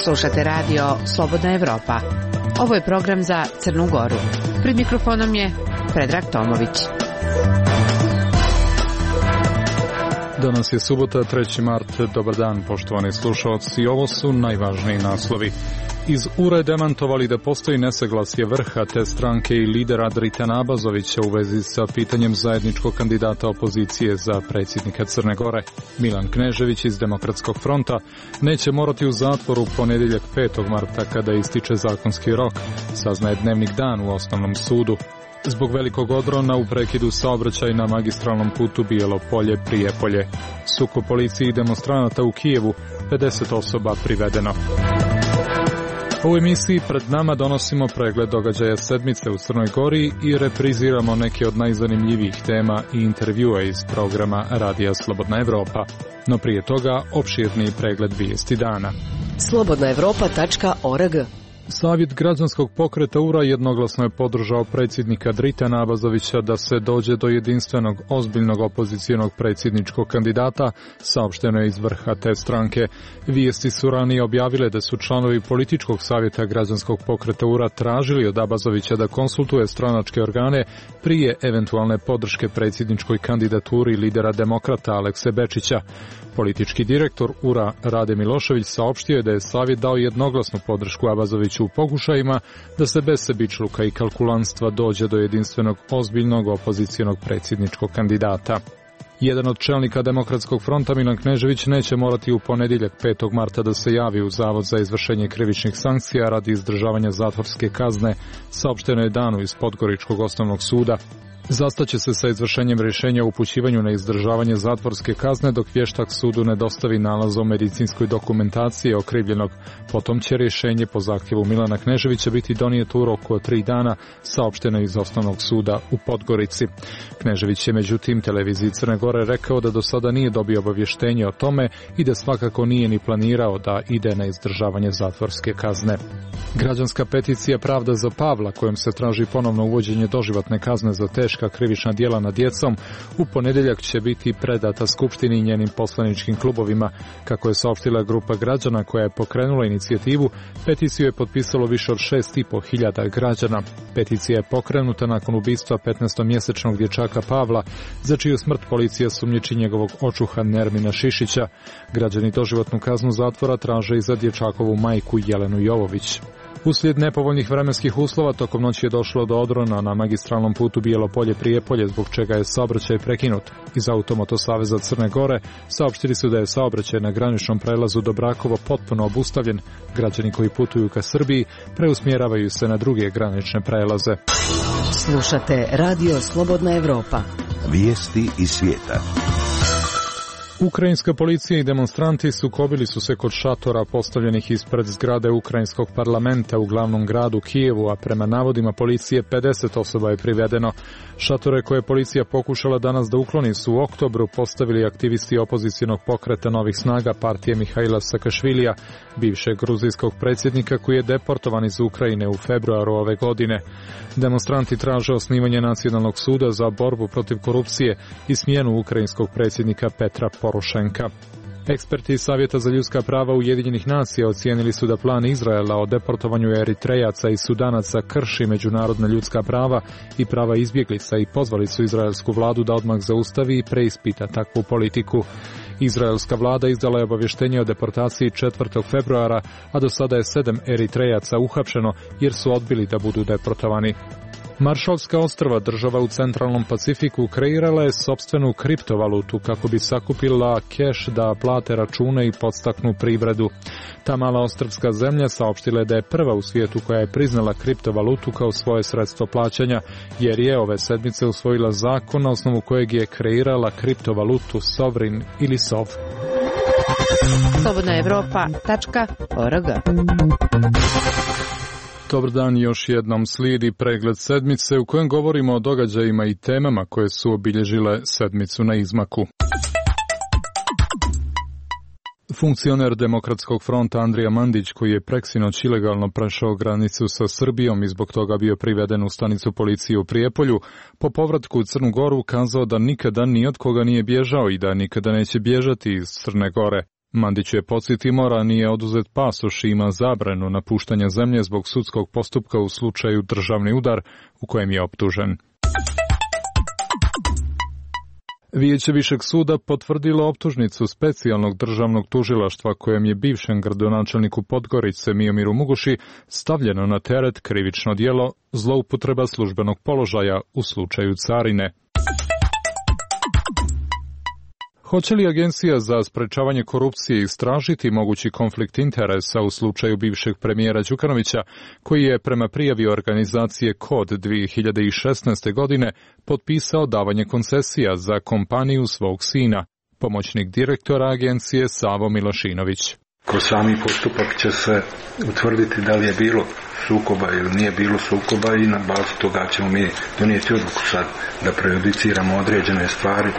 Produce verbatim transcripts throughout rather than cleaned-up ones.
Slušate radio Slobodna Evropa. Ovo je program za Crnu Goru. Pred mikrofonom je Predrag Tomović. Danas je subota, treći mart. Dobar dan, poštovani slušalci. Ovo su najvažniji naslovi. Iz U R A demantovali da postoji nesaglasje vrha te stranke i lidera Dritana Abazovića u vezi sa pitanjem zajedničkog kandidata opozicije za predsjednika Crne Gore. Milan Knežević iz Demokratskog fronta neće morati u zatvoru u ponedjeljak petog marta kada ističe zakonski rok, saznaje Dnevnik Dan u Osnovnom sudu. Zbog velikog odrona u prekidu saobraćaja na magistralnom putu Bijelo Polje-Prijepolje. Sukob policije i demonstranata u Kijevu, pedeset osoba privedeno. U emisiji pred nama donosimo pregled događaja sedmice u Crnoj Gori i repriziramo neke od najzanimljivijih tema i intervjua iz programa Radija Slobodna Evropa. No prije toga opširniji pregled vijesti dana. slobodna evropa tačka org. Savjet građanskog pokreta U R A jednoglasno je podržao predsjednika Dritana Abazovića da se dođe do jedinstvenog, ozbiljnog opozicijonog predsjedničkog kandidata, saopšteno je iz vrha te stranke. Vijesti su ranije objavile da su članovi političkog savjeta građanskog pokreta U R A tražili od Abazovića da konsultuje stranačke organe prije eventualne podrške predsjedničkoj kandidaturi lidera demokrata Alekse Bečića. Politički direktor U R A Rade Milošević saopštio je da je savjet dao jednoglasnu podršku Abazoviću u pokušajima da se bez sebičluka i kalkulanstva dođe do jedinstvenog, ozbiljnog opozicijonog predsjedničkog kandidata. Jedan od čelnika Demokratskog fronta, Milan Knežević, neće morati u ponedjeljak petog marta da se javi u Zavod za izvršenje krivičnih sankcija radi izdržavanja zatvorske kazne, saopšteno je danu iz Podgoričkog osnovnog suda. Zastaće se sa izvršenjem rješenja o upućivanju na izdržavanje zatvorske kazne dok vještak sudu ne dostavi nalaz o medicinskoj dokumentaciji okrivljenog. Potom će rješenje po zahtjevu Milana Kneževića biti donijeto u roku od tri dana, saopšteno iz osnovnog suda u Podgorici. Knežević je međutim televiziji Crne Gore rekao da do sada nije dobio obavještenje o tome i da svakako nije ni planirao da ide na izdržavanje zatvorske kazne. Građanska peticija Pravda za Pavla, kojom se traži ponovno uvođenje doživotne kazne za teška krivična djela nad djecom, u ponedjeljak će biti predata Skupštini i njenim poslaničkim klubovima. Kako je saopštila grupa građana koja je pokrenula inicijativu, peticiju je potpisalo više od šest i po hiljada građana. Peticija je pokrenuta nakon ubistva petnaestomjesečnog dječaka Pavla, za čiju smrt policija sumnjiči njegovog očuha Nermina Šišića. Građani doživotnu kaznu zatvora traže i za dječakovu majku Jelenu Jovović. Uslijed nepovoljnih vremenskih uslova tokom noći je došlo do odrona na magistralnom putu Bijelo Polje-Prijepolje, zbog čega je saobraćaj prekinut. Iz Automoto saveza Crne Gore saopštili su da je saobraćaj na graničnom prelazu do Brakovo potpuno obustavljen. Građani koji putuju ka Srbiji preusmjeravaju se na druge granične prelaze. Slušate Radio Slobodna Evropa. Vijesti iz svijeta. Ukrajinska policija i demonstranti sukobili su se kod šatora postavljenih ispred zgrade Ukrajinskog parlamenta u glavnom gradu Kijevu, a prema navodima policije pedeset osoba je privedeno. Šatore koje je policija pokušala danas da ukloni su u oktobru postavili aktivisti opozicionog pokreta Novih snaga partije Mihaila Sakašvilija, bivšeg gruzijskog predsjednika koji je deportovan iz Ukrajine u februaru ove godine. Demonstranti traže osnivanje nacionalnog suda za borbu protiv korupcije i smjenu ukrajinskog predsjednika Petra Porošenka. Eksperti iz Savjeta za ljudska prava Ujedinjenih nacija ocijenili su da plan Izraela o deportovanju Eritrejaca i Sudanaca krši međunarodna ljudska prava i prava izbjeglica i pozvali su izraelsku vladu da odmah zaustavi i preispita takvu politiku. Izraelska vlada izdala je obavještenje o deportaciji četvrtog februara, a do sada je sedam Eritrejaca uhapšeno jer su odbili da budu deportovani. Maršalska ostrva, država u centralnom Pacifiku, kreirala je sopstvenu kriptovalutu kako bi sakupila keš da plate račune i podstaknu privredu. Ta mala ostrvska zemlja saopštila je da je prva u svijetu koja je priznala kriptovalutu kao svoje sredstvo plaćanja, jer je ove sedmice usvojila zakon na osnovu kojeg je kreirala kriptovalutu Sovrin ili Sov. slobodna evropa tačka org. Dobar dan, još jednom slijedi pregled sedmice u kojem govorimo o događajima i temama koje su obilježile sedmicu na izmaku. Funkcioner Demokratskog fronta Andrija Mandić, koji je preksinoć ilegalno prešao granicu sa Srbijom i zbog toga bio priveden u stanicu policije u Prijepolju, po povratku u Crnu Goru kazao da nikada ni od koga nije bježao i da nikada neće bježati iz Crne Gore. Mandić je podsjetimo, ranije oduzet pasoš i ima zabranu napuštanja zemlje zbog sudskog postupka u slučaju državni udar u kojem je optužen. Vijeće Višeg suda potvrdilo optužnicu specijalnog državnog tužilaštva kojem je bivšem gradonačelniku Podgorice Miomiru Muguši stavljeno na teret krivično djelo zloupotreba službenog položaja u slučaju carine. Hoće li Agencija za sprečavanje korupcije istražiti mogući konflikt interesa u slučaju bivšeg premijera Đukanovića, koji je prema prijavi organizacije Kod dvije hiljade šesnaeste. godine potpisao davanje koncesija za kompaniju svog sina? Pomoćnik direktora agencije Savo Milošinović. Kroz sami postupak će se utvrditi da li je bilo sukoba ili nije bilo sukoba i na bazi toga ćemo mi donijeti odluku sad da prejudiciramo određene stvari.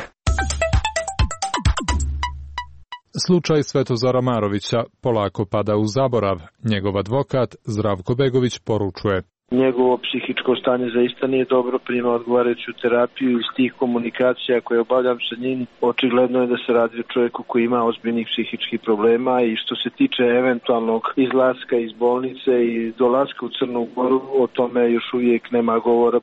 Slučaj Svetozara Marovića polako pada u zaborav. Njegov advokat Zdravko Begović poručuje: njegovo psihičko stanje zaista nije dobro, prima odgovarajuću terapiju iz tih komunikacija koje obavljam sa njim. Očigledno je da se radi o čovjeku koji ima ozbiljnih psihičkih problema i što se tiče eventualnog izlaska iz bolnice i dolaska u Crnu Goru, o tome još uvijek nema govora.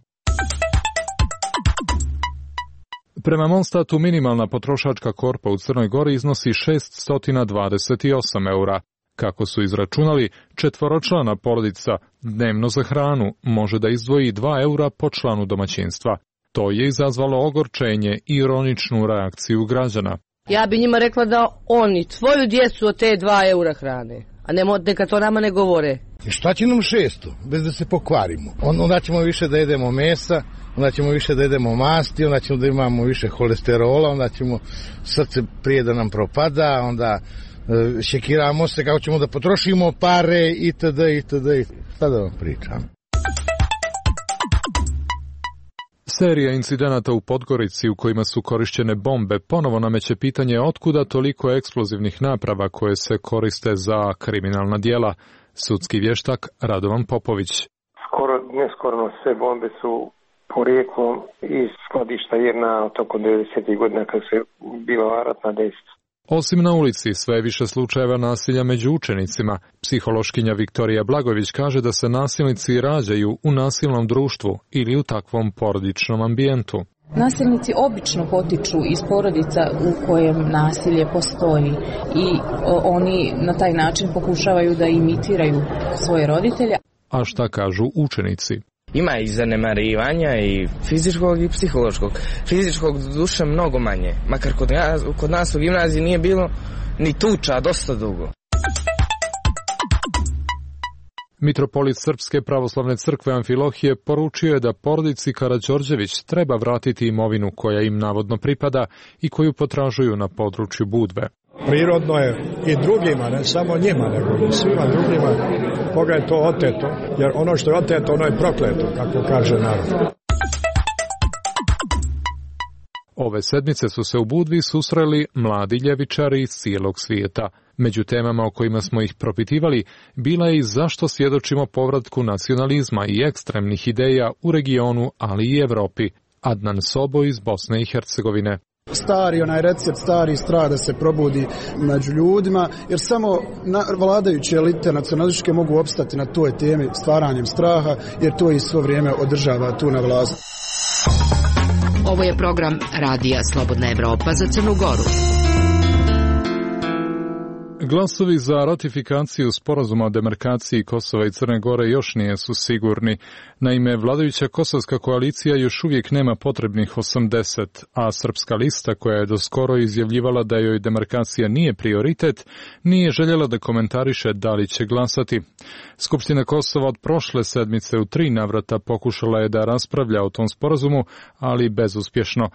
Prema Monstatu minimalna potrošačka korpa u Crnoj Gori iznosi šessto dvadeset osam eura. Kako su izračunali, četvoročlana porodica dnevno za hranu može da izdvoji dva eura po članu domaćinstva. To je izazvalo ogorčenje i ironičnu reakciju građana. Ja bi njima rekla da oni tvoju djecu od te dva eura hrane, a ne, neka to nama ne govore. I šta će nam šesto, bez da se pokvarimo? Onda ćemo više da jedemo mesa, onda ćemo više da jedemo masti, onda ćemo da imamo više holesterola, onda ćemo srce prije da nam propada, onda e, šekiramo se kako ćemo da potrošimo pare itd. itd. Šta da vam pričam? Serija incidenata u Podgorici u kojima su korišćene bombe ponovo nameće pitanje otkuda toliko eksplozivnih naprava koje se koriste za kriminalna djela. Sudski vještak Radovan Popović. Skoro, neskorno sve bombe su porijeklom iz skladišta jedna od oko devedesetih godina kad se bila ratna dejstva. Osim na ulici, sve je više slučajeva nasilja među učenicima. Psihološkinja Viktorija Blagović kaže da se nasilnici rađaju u nasilnom društvu ili u takvom porodičnom ambijentu. Nasilnici obično potiču iz porodica u kojem nasilje postoji i oni na taj način pokušavaju da imitiraju svoje roditelje. A šta kažu učenici? Ima i zanemarivanja i fizičkog i psihološkog. Fizičkog duše mnogo manje, makar kod nas, kod nas u gimnaziji nije bilo ni tuča dosta dugo. Mitropolit Srpske pravoslavne crkve Amfilohije poručio je da porodici Karađorđević treba vratiti imovinu koja im navodno pripada i koju potražuju na području Budve. Prirodno je i drugima, ne samo njima, nego i svima drugima koga je to oteto, jer ono što je oteto, ono je prokleto, kako kaže narod. Ove sedmice su se u Budvi susreli mladi ljevičari iz cijelog svijeta. Među temama o kojima smo ih propitivali bila je i zašto svjedočimo povratku nacionalizma i ekstremnih ideja u regionu, ali i Evropi. Adnan Sobo iz Bosne i Hercegovine. Stari onaj recept, stari strah da se probudi među ljudima, jer samo na, vladajuće elite nacionalističke mogu opstati na toj temi stvaranjem straha, jer to i svo vrijeme održava tu na vlasti. Ovo je program Radija Slobodna Evropa za Crnu Goru. Glasovi za ratifikaciju sporazuma o demarkaciji Kosova i Crne Gore još nisu sigurni. Naime, vladajuća kosovska koalicija još uvijek nema potrebnih osamdeset, a Srpska lista, koja je doskoro izjavljivala da joj demarkacija nije prioritet, nije željela da komentariše da li će glasati. Skupština Kosova od prošle sedmice u tri navrata pokušala je da raspravlja o tom sporazumu, ali bezuspješno.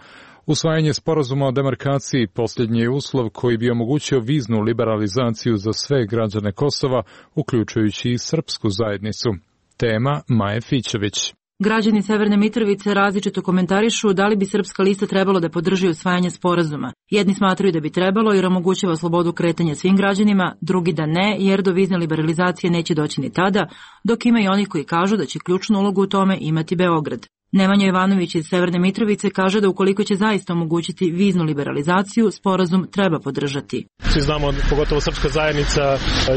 Usvajanje sporazuma o demarkaciji posljednji je uslov koji bi omogućio viznu liberalizaciju za sve građane Kosova, uključujući i srpsku zajednicu. Tema Maje Fićević. Građani Severne Mitrovice različito komentarišu da li bi Srpska lista trebalo da podrži usvajanje sporazuma. Jedni smatraju da bi trebalo jer omogućava slobodu kretanja svim građanima, drugi da ne jer do vizne liberalizacije neće doći ni tada, dok ima i oni koji kažu da će ključnu ulogu u tome imati Beograd. Nemanja Jovanović iz Severne Mitrovice kaže da ukoliko će zaista omogućiti viznu liberalizaciju, sporazum treba podržati. Svi znamo, pogotovo srpska zajednica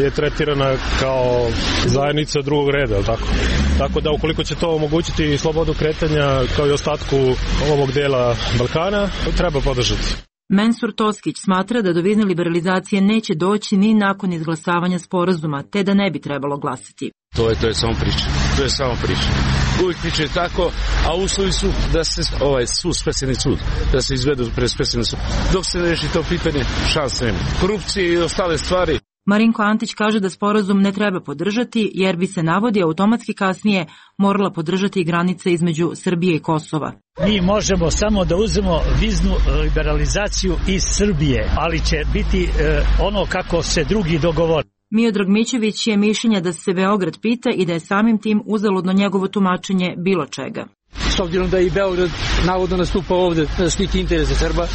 je tretirana kao zajednica drugog reda, tako? Tako da ukoliko će to omogućiti slobodu kretanja kao i ostatku ovog dela Balkana, treba podržati. Mensur Toskić smatra da do vizne liberalizacije neće doći ni nakon izglasavanja sporazuma, te da ne bi trebalo glasati. To je, to je samo priča. To je samo priča. Uvijek priča je tako, a uslovi su da se ovaj sud, specijalni sud, da se izvedu pred specijalni sud. Dok se ne reši to pitanje, šanse nema. Korupcije i ostale stvari. Marinko Antić kaže da sporazum ne treba podržati, jer bi se, navodi, automatski kasnije morala podržati i granica između Srbije i Kosova. Mi možemo samo da uzmemo viznu liberalizaciju iz Srbije, ali će biti e, ono kako se drugi dogovore. Miodrag Mićević je mišljenja da se Beograd pita i da je samim tim uzaludno njegovo tumačenje bilo čega. S obzirom da i Beograd navodno nastupa ovde da štiti interese Srba,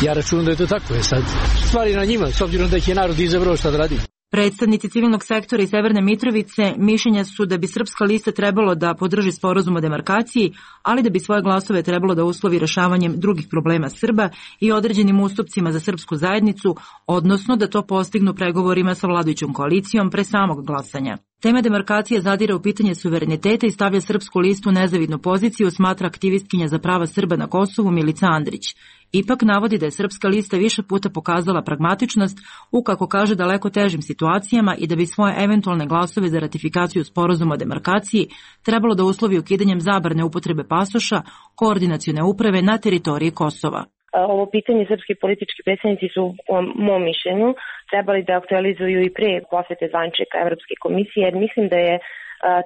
ja računam da je to tako. Je sad stvari na njima, s obzirom da ih je narod izabrao, šta da radi. Predstavnici civilnog sektora iz Severne Mitrovice mišljenja su da bi Srpska lista trebalo da podrži sporazum o demarkaciji, ali da bi svoje glasove trebalo da uslovi rešavanjem drugih problema Srba i određenim ustupcima za srpsku zajednicu, odnosno da to postignu pregovorima sa vladajućom koalicijom pre samog glasanja. Tema demarkacije zadire u pitanje suvereniteta i stavlja Srpsku listu u nezavidnu poziciju, smatra aktivistkinja za prava Srba na Kosovu Milica Andrić. Ipak navodi da je Srpska lista više puta pokazala pragmatičnost u, kako kaže, daleko težim situacijama i da bi svoje eventualne glasove za ratifikaciju sporazuma o demarkaciji trebalo da uslovi ukidanjem zabrane upotrebe pasoša koordinacione uprave na teritoriji Kosova. Ovo pitanje srpski politički predstavnici su, po mom mišljenju, trebali da aktualizuju i pre posete zvaničnika Evropske komisije, jer mislim da je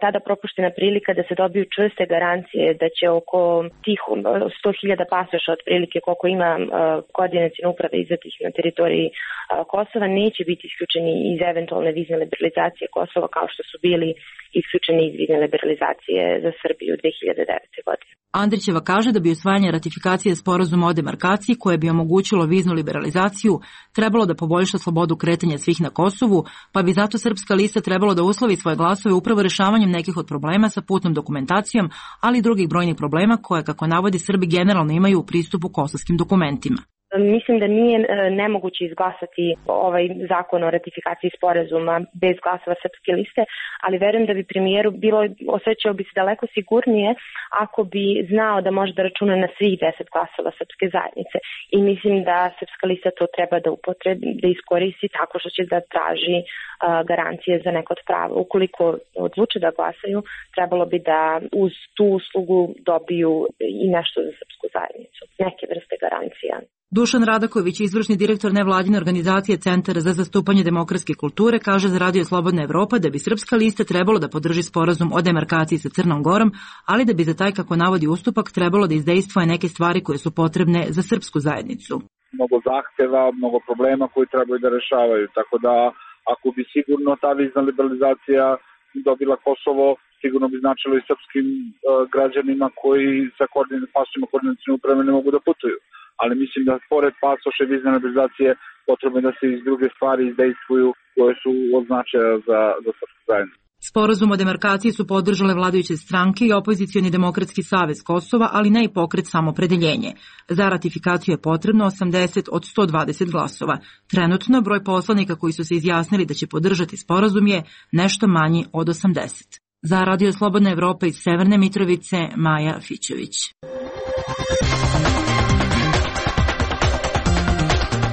tada propuštena prilika da se dobiju čvrste garancije da će oko tih sto hiljada pasoša otprilike koliko ima koordinacione uprave izdatih na teritoriji Kosova neće biti isključeni iz eventualne vizne liberalizacije Kosova kao što su bili isključeni iz vizne liberalizacije za Srbiju dve hiljade devete. godine. Andrićeva kaže da bi usvajanje ratifikacije sporazuma o demarkaciji koje bi omogućilo viznu liberalizaciju trebalo da poboljša slobodu kretanja svih na Kosovu, pa bi zato Srpska lista trebalo da uslovi svoje glasove upravo rešavanjem nekih od problema sa putnom dokumentacijom, ali i drugih brojnih problema koje, kako navodi, Srbi generalno imaju u pristupu kosovskim dokumentima. Mislim da nije nemoguće izglasati ovaj zakon o ratifikaciji sporazuma bez glasova Srpske liste, ali verujem da bi premijeru bilo, osjećao bi se daleko sigurnije ako bi znao da može da računa na svih deset glasova Srpske zajednice. I mislim da Srpska lista to treba da upotrebi, da iskoristi tako što će da traži uh, garancije za neko od prava. Ukoliko odluče da glasaju, trebalo bi da uz tu uslugu dobiju i nešto za Srpsku zajednicu, neke vrste garancija. Dušan Radaković, izvršni direktor nevladine organizacije Centar za zastupanje demokratske kulture, kaže za Radio Slobodna Evropa da bi Srpska lista trebalo da podrži sporazum o demarkaciji sa Crnom Gorom, ali da bi za taj, kako navodi, ustupak trebalo da izdejstvuje neke stvari koje su potrebne za srpsku zajednicu. Mnogo zahteva, mnogo problema koji trebaju da rešavaju, tako da ako bi sigurno ta vizna liberalizacija dobila Kosovo, sigurno bi značilo i srpskim uh, građanima koji sa pasošima koordinacione uprave ne mogu da putuju. Ali mislim da pored pasoša i vizne liberalizacije potrebno je da se iz druge stvari izdejstvuju koje su od značaja za, za srpsku zajednicu. Sporazum o demarkaciji su podržale vladajuće stranke i opozicioni demokratski savez Kosova, ali ne i pokret Samopredeljenje. Za ratifikaciju je potrebno osamdeset od sto dvadeset glasova. Trenutno broj poslanika koji su se izjasnili da će podržati sporazum je nešto manji od osamdeset. Za Radio Slobodna Evropa iz Severne Mitrovice, Maja Fićević.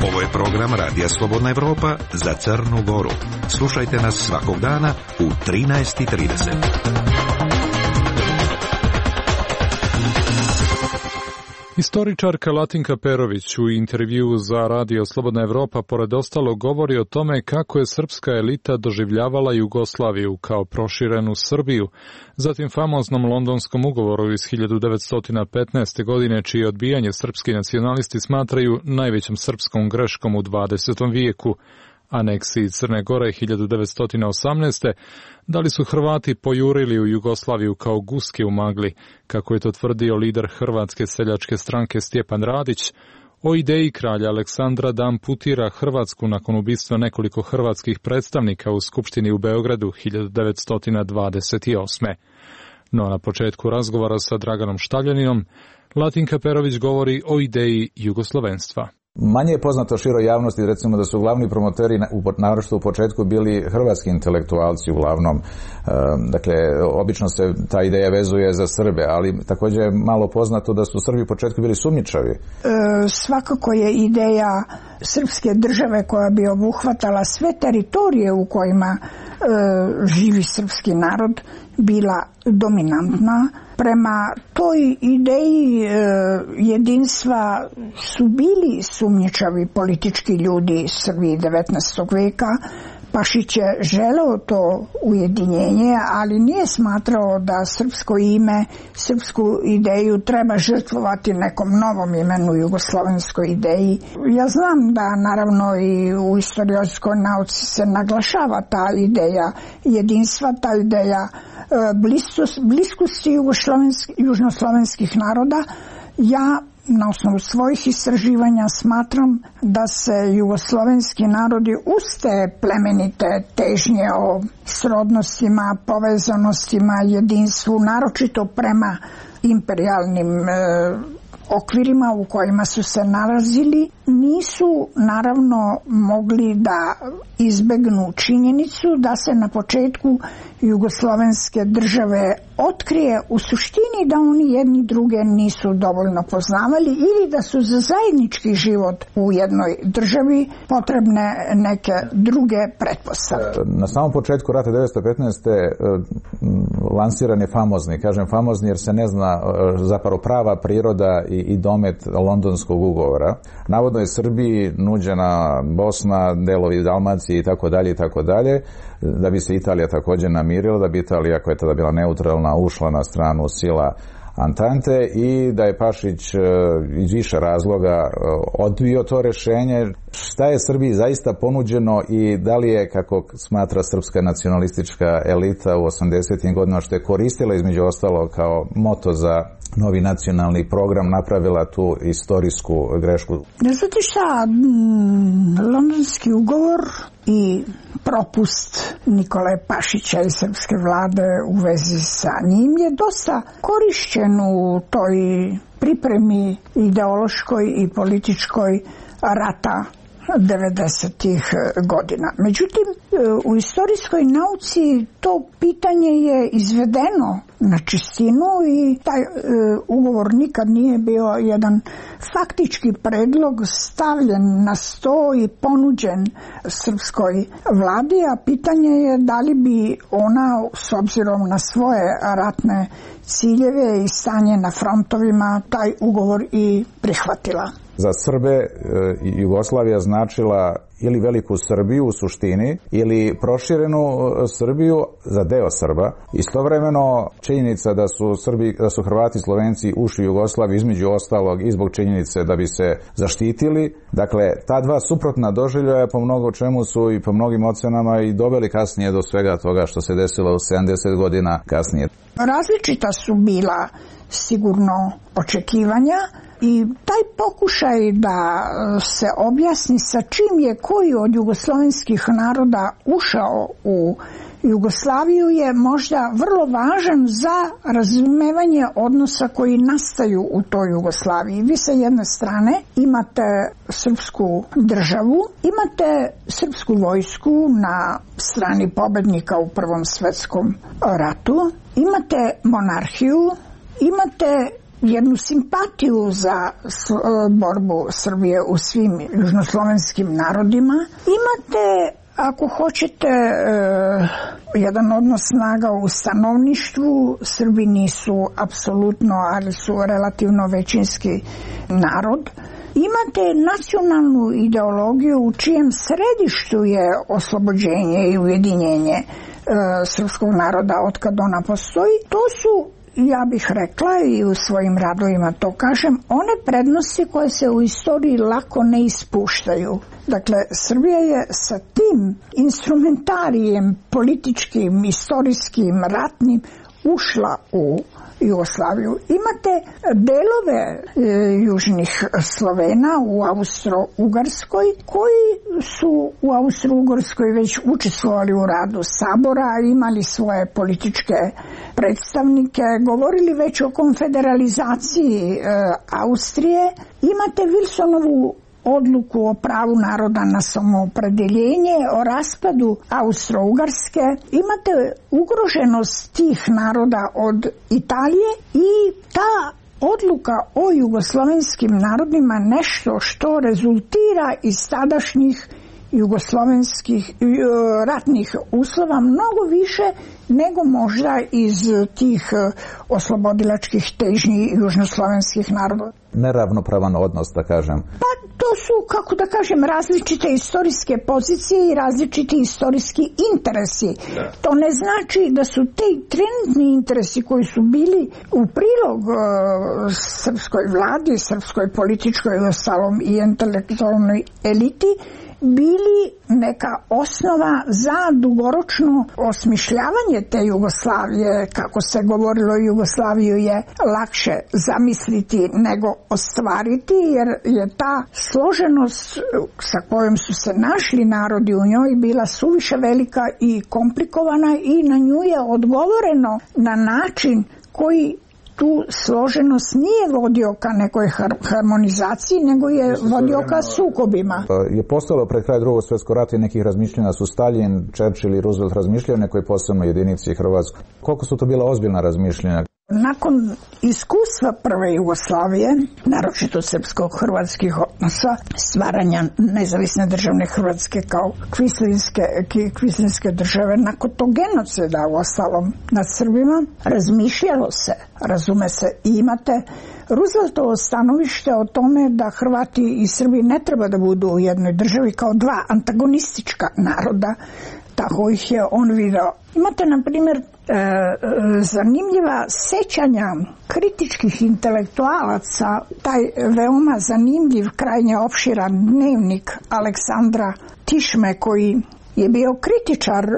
Ovo je program Radija Slobodna Evropa za Crnu Goru. Slušajte nas svakog dana u trinaest i trideset. Istoričarka Latinka Perović u intervjuu za Radio Slobodna Evropa pored ostalo govori o tome kako je srpska elita doživljavala Jugoslaviju kao proširenu Srbiju, zatim famoznom londonskom ugovoru iz hiljadu devetsto petnaeste. godine, čije odbijanje srpski nacionalisti smatraju najvećom srpskom greškom u dvadesetom vijeku, aneksiji Crne Gore hiljadu devetsto osamnaeste. Da li su Hrvati pojurili u Jugoslaviju kao guske u magli, kako je to tvrdio lider Hrvatske seljačke stranke Stjepan Radić, o ideji kralja Aleksandra da amputira Hrvatsku nakon ubistva nekoliko hrvatskih predstavnika u Skupštini u Beogradu hiljadu devetsto dvadeset osme. No na početku razgovora sa Draganom Štavljaninom, Latinka Perović govori o ideji jugoslovenstva. Manje je poznato široj javnosti, recimo, da su glavni promoteri, naročito u početku, bili hrvatski intelektualci uglavnom. Dakle, obično se ta ideja vezuje za Srbe, ali također je malo poznato da su Srbi u početku bili sumnjičavi. E, svakako je ideja srpske države koja bi obuhvatala sve teritorije u kojima e, živi srpski narod bila dominantna. Prema toj ideji e, jedinstva su bili sumnjičavi politički ljudi Srbiji devetnaestog veka. Pašić je želeo to ujedinjenje, ali nije smatrao da srpsko ime, srpsku ideju treba žrtvovati nekom novom imenu, jugoslovenskoj ideji. Ja znam da naravno i u istorijskoj nauci se naglašava ta ideja jedinstva, ta ideja bliskosti južnoslovenskih naroda. Ja na osnovu svojih istraživanja smatram da se jugoslovenski narodi uz te plemenite težnje o srodnostima, povezanostima, jedinstvu, naročito prema imperijalnim e, okvirima u kojima su se nalazili, nisu naravno mogli da izbegnu činjenicu da se na početku jugoslovenske države otkrije u suštini da oni jedni druge nisu dovoljno poznavali ili da su za zajednički život u jednoj državi potrebne neke druge pretpostavke. Na samom početku rata devetnaeste petnaeste. lansiran je famozni, kažem famozni jer se ne zna zapravo prava priroda i, i domet Londonskog ugovora. Navodno je Srbiji nuđena Bosna, delovi Dalmacije i tako dalje i tako dalje, da bi se Italija također namirila, da bi Italija, koja je tada bila neutralna, ušla na stranu sila Antante i da je Pašić iz više razloga odbio to rješenje. Šta je Srbiji zaista ponuđeno i da li je, kako smatra srpska nacionalistička elita u osamdesetim godinama, što je koristila između ostalo kao moto za novi nacionalni program, napravila tu istorijsku grešku? Znate šta, Londonski ugovor i propust Nikole Pašića i srpske vlade u vezi sa njim je dosta korišćen u toj pripremi ideološkoj i političkoj rata devedesetih godina. Međutim, u istorijskoj nauci to pitanje je izvedeno na čistinu i taj e, ugovor nikad nije bio jedan faktički predlog stavljen na sto i ponuđen srpskoj vladi, a pitanje je da li bi ona s obzirom na svoje ratne ciljeve i stanje na frontovima taj ugovor i prihvatila. Za Srbe Jugoslavija značila ili veliku Srbiju u suštini ili proširenu Srbiju za deo Srba. Istovremeno činjenica da su Srbi, da su Hrvati i Slovenci ušli u Jugoslaviju između ostalog i zbog činjenice da bi se zaštitili. Dakle, ta dva suprotna doživljaja po mnogo čemu su i po mnogim ocenama i doveli kasnije do svega toga što se desilo u sedamdeset godina kasnije. Različita su bila sigurno očekivanja i taj pokušaj da se objasni sa čim je koji od jugoslovenskih naroda ušao u Jugoslaviju je možda vrlo važan za razumevanje odnosa koji nastaju u toj Jugoslaviji. Vi sa jedne strane imate srpsku državu, imate srpsku vojsku na strani pobednika u Prvom svetskom ratu, imate monarhiju, imate jednu simpatiju za borbu Srbije u svim južnoslovenskim narodima. Imate, ako hoćete, jedan odnos snaga u stanovništvu. Srbi nisu apsolutno, ali su relativno većinski narod. Imate nacionalnu ideologiju u čijem središtu je oslobođenje i ujedinjenje srpskog naroda od kad ona postoji. To su, ja bih rekla i u svojim radovima to kažem, one prednosti koje se u istoriji lako ne ispuštaju. Dakle, Srbija je sa tim instrumentarijem političkim, istorijskim, ratnim ušla u Jugoslaviju. Imate delove e, južnih Slovena u Austro-Ugarskoj koji su u Austro-Ugarskoj već učestvovali u radu sabora, imali svoje političke predstavnike, govorili već o konfederalizaciji e, Austrije. Imate Wilsonovu odluku o pravu naroda na samoopredeljenje, o raspadu Austro-Ugarske. Imate ugroženost tih naroda od Italije i ta odluka o jugoslovenskim narodima nešto što rezultira iz tadašnjih jugoslovenskih ratnih uslova mnogo više nego možda iz tih oslobodilačkih težnji južnoslovenskih naroda. Neravnopravan odnos, da kažem. Pa to su, kako da kažem, različite istorijske pozicije i različiti istorijski interesi. Da. To ne znači da su te trenutni interesi koji su bili u prilog uh, srpskoj vladi, srpskoj političkoj ostalom i intelektualnoj eliti bili neka osnova za dugoročno osmišljavanje te Jugoslavije. Kako se govorilo, Jugoslaviju je lakše zamisliti nego ostvariti, jer je ta složenost sa kojom su se našli narodi u njoj bila suviše velika i komplikovana i na nju je odgovoreno na način koji tu složenost nije vodio ka nekoj harmonizaciji, nego je vodio ka sukobima. Je postojalo pred kraj drugog svjetskog rata i nekih razmišljanja su Stalin, Churchill i Roosevelt razmišljali o nekoj posebnoj jedinici Hrvatskoj. Koliko su to bila ozbiljna razmišljanja? Nakon iskustva prve Jugoslavije, naročito srpsko-hrvatskih odnosa, stvaranja nezavisne državne Hrvatske kao kvislinske, kvislinske države, nakon tog genocida u ostalom nad Srbima, razmišljalo se, razume se, i imate Rooseveltovo stanovište o tome da Hrvati i Srbi ne treba da budu u jednoj državi kao dva antagonistička naroda, tako ih je on video. Imate, na primjer, e, zanimljiva sećanja kritičkih intelektualaca, taj veoma zanimljiv, krajnje opširan dnevnik Aleksandra Tišme, koji je bio kritičar, e,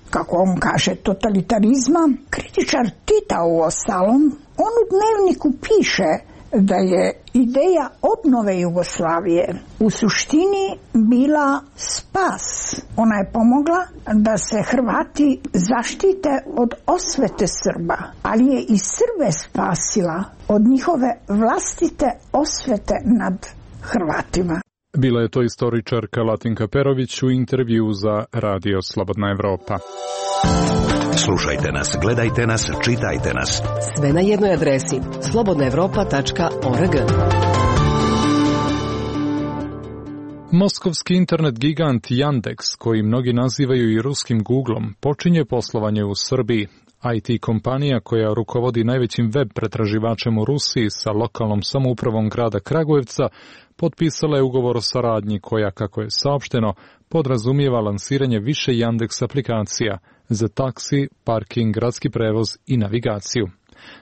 kako on kaže, totalitarizma, kritičar Tita u ostalom. On u dnevniku piše da je ideja obnove Jugoslavije u suštini bila spas. Ona je pomogla da se Hrvati zaštite od osvete Srba, ali je i Srbe spasila od njihove vlastite osvete nad Hrvatima. Bila je to istoričarka Latinka Perović u intervju za Radio Slobodna Evropa. Slušajte nas, gledajte nas, čitajte nas. Sve na jednoj adresi slobodna evropa tačka org. Moskovski internet gigant Yandex, koji mnogi nazivaju i ruskim Googlom, počinje poslovanje u Srbiji. I T kompanija koja rukovodi najvećim web pretraživačem u Rusiji sa lokalnom samoupravom grada Kragujevca potpisala je ugovor o saradnji koja, kako je saopšteno, podrazumijeva lansiranje više Yandex aplikacija za taksi, parking, gradski prevoz i navigaciju.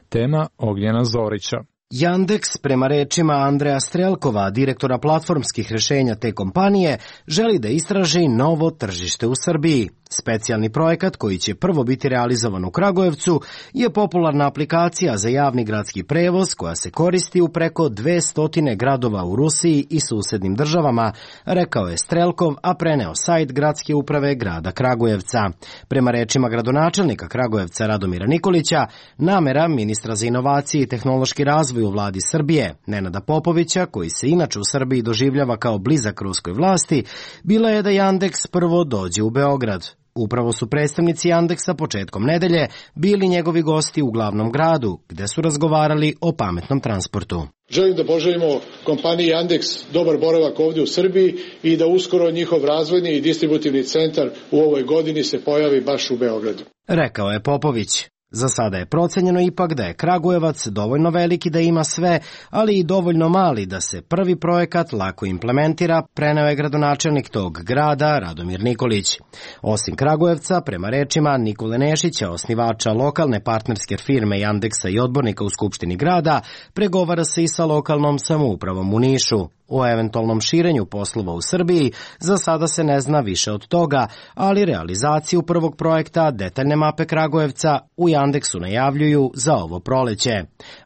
Tema Ognjena Zorića. Yandex, prema rečima Andreja Strelkova, direktora platformskih rešenja te kompanije, želi da istraži novo tržište u Srbiji. Specijalni projekat, koji će prvo biti realizovan u Kragujevcu, je popularna aplikacija za javni gradski prevoz koja se koristi u preko dvesta gradova u Rusiji i susednim državama, rekao je Strelkov, a preneo sajt gradske uprave grada Kragujevca. Prema rečima gradonačelnika Kragujevca Radomira Nikolića, namera ministra za inovacije i tehnološki razvoj u vladi Srbije, Nenada Popovića, koji se inače u Srbiji doživljava kao blizak ruskoj vlasti, bila je da Yandex prvo dođe u Beograd. Upravo su predstavnici Yandexa početkom nedelje bili njegovi gosti u glavnom gradu, gde su razgovarali o pametnom transportu. Želim da poželimo kompaniji Yandex dobar boravak ovdje u Srbiji i da uskoro njihov razvojni i distributivni centar u ovoj godini se pojavi baš u Beogradu. Rekao je Popović. Za sada je procenjeno ipak da je Kragujevac dovoljno veliki da ima sve, ali i dovoljno mali da se prvi projekat lako implementira, preneo je gradonačelnik tog grada Radomir Nikolić. Osim Kragujevca, prema rečima Nikole Nešića, osnivača lokalne partnerske firme Yandexa i odbornika u Skupštini grada, pregovara se i sa lokalnom samoupravom u Nišu. O eventualnom širenju poslova u Srbiji za sada se ne zna više od toga, ali realizaciju prvog projekta detaljne mape Kragujevca u Yandexu najavljuju za ovo proleće.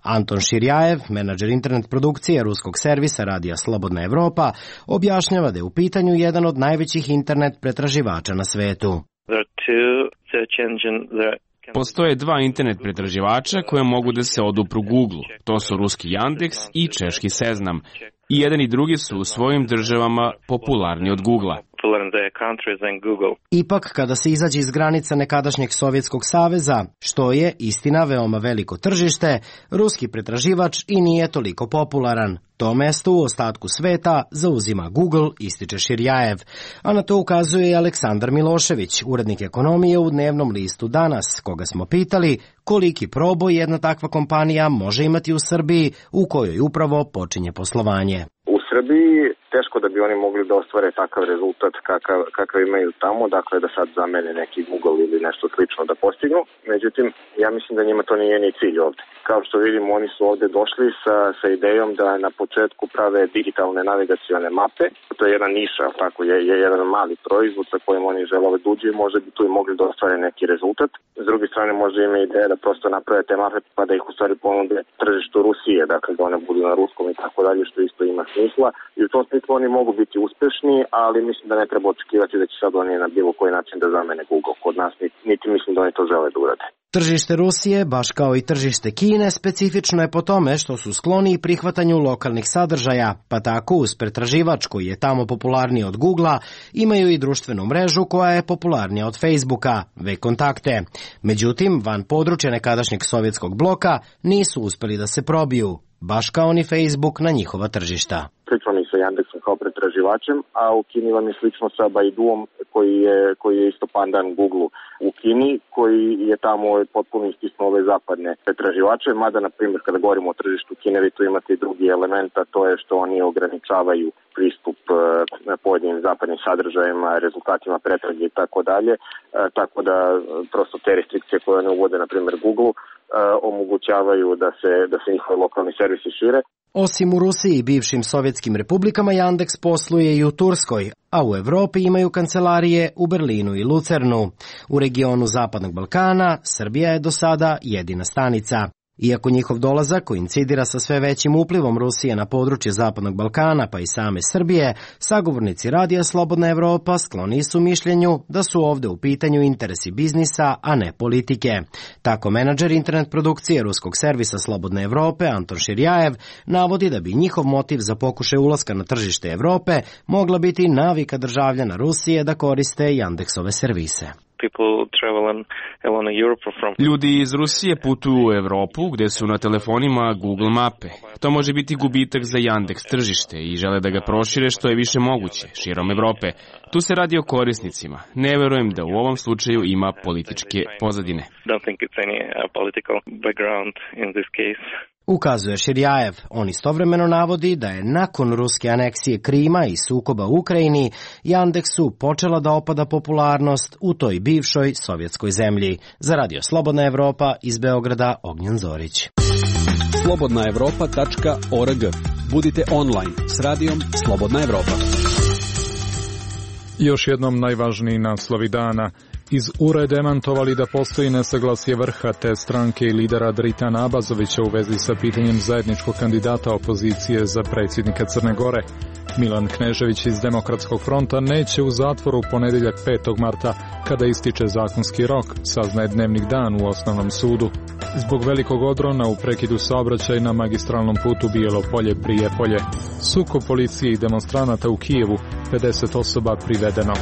Anton Širjajev, menadžer internet produkcije ruskog servisa Radija Slobodna Evropa, objašnjava da je u pitanju jedan od najvećih internet pretraživača na svetu. Postoje dva internet pretraživača koje mogu da se odupru Google. To su ruski Yandex i češki Seznam. I jedan i drugi su u svojim državama popularni od Googlea. Ipak, kada se izađe iz granica nekadašnjeg Sovjetskog saveza, što je, istina, veoma veliko tržište, ruski pretraživač i nije toliko popularan. To mesto u ostatku sveta zauzima Google, ističe Širjajev, a na to ukazuje i Aleksandar Milošević, urednik ekonomije u dnevnom listu Danas, koga smo pitali koliki proboj jedna takva kompanija može imati u Srbiji u kojoj upravo počinje poslovanje. U Srbiji teško da bi oni mogli da ostvare takav rezultat kakav, kakav imaju tamo, dakle da sad zamene neki Google ili nešto slično da postignu. Međutim, ja mislim da njima to nije ni cilj ovde. Kao što vidimo, oni su ovde došli sa, sa idejom da na početku prave digitalne navigacione mape. To je jedna niša, tako je, je jedan mali proizvod sa kojim oni žele ove duđe i možda bi tu i mogli da ostvare neki rezultat. S druge strane, možda ima ideja da prosto naprave te mape pa da ih u stvari ponude tržištu Rusije, dakle da one budu na ruskom i tako dalje, što isto ima smisla. I u tom smislu oni mogu biti uspešni, ali mislim da ne treba očekivati da će sad oni na bilo koji način da zamene Google kod nas, niti mislim da oni to žele da urade. Tržište Rusije, baš kao i tržište Kine, specifično je po tome što su skloni i prihvatanju lokalnih sadržaja, pa tako uz pretraživač koji je tamo popularniji od Googlea, imaju i društvenu mrežu koja je popularnija od Facebooka, V-kontakte. Međutim, van područja nekadašnjeg sovjetskog bloka nisu uspeli da se probiju, baš kao ni Facebook na njihova tržišta. Slično mi sa Yandexom kao pretraživačem, a u Kini vam je slično sa Baiduom koji je, koji je isto pandan Google u Kini, koji je tamo potpuno istisnuo ove zapadne pretraživače, mada, na primjer, kada govorimo o tržištu Kine, vi tu imate i drugi element, a to je što oni ograničavaju pristup na pojedinim zapadnim sadržajima, rezultatima pretrage i tako dalje, tako da prosto te restrikcije koje oni uvode, na primjer Google, omogućavaju da se, da se njihovi lokalni servisi šire. Osim u Rusiji i bivšim sovjetskim republikama, Yandex posluje i u Turskoj, a u Evropi imaju kancelarije u Berlinu i Lucernu. U regionu Zapadnog Balkana Srbija je do sada jedina stanica. Iako njihov dolazak koincidira sa sve većim uplivom Rusije na područje Zapadnog Balkana pa i same Srbije, sagovornici Radija Slobodna Evropa skloni su mišljenju da su ovde u pitanju interesi biznisa, a ne politike. Tako menadžer internet produkcije ruskog servisa Slobodne Evrope Anton Širjajev navodi da bi njihov motiv za pokušaj ulaska na tržište Evrope mogla biti navika državljana Rusije da koriste Yandexove servise. Ljudi iz Rusije putuju u Evropu gde su na telefonima Google mape. To može biti gubitak za Yandex tržište i žele da ga prošire što je više moguće širom Evrope. Tu se radi o korisnicima. Ne verujem da u ovom slučaju ima političke pozadine. Ukazuje Širjajev. On istovremeno navodi da je nakon ruske aneksije Krima i sukoba u Ukrajini Yandexu počela da opada popularnost u toj bivšoj sovjetskoj zemlji. Za Radio Slobodna Evropa iz Beograda Ognjen Zorić. slobodna evropa tačka org. Budite online s Radijom Slobodna Evropa. Još jednom najvažniji naslovi dana. Iz U R A demantovali da postoji nesaglasje vrha te stranke i lidera Dritana Abazovića u vezi sa pitanjem zajedničkog kandidata opozicije za predsjednika Crne Gore. Milan Knežević iz Demokratskog fronta neće u zatvoru ponedeljak petog marta, kada ističe zakonski rok, saznaje Dnevnik Dan u Osnovnom sudu. Zbog velikog odrona u prekidu saobraćaja na magistralnom putu Bijelo Polje-Prijepolje. Sukob policije i demonstranata u Kijevu, pedeset osoba privedeno.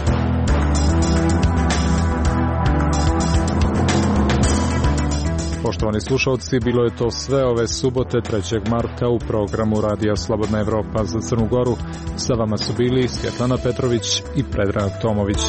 Poštovani slušalci, bilo je to sve ove subote trećeg marta u programu Radija Slobodna Evropa za Crnu Goru. Sa vama su bili Svjetlana Petrović i Predrag Tomović.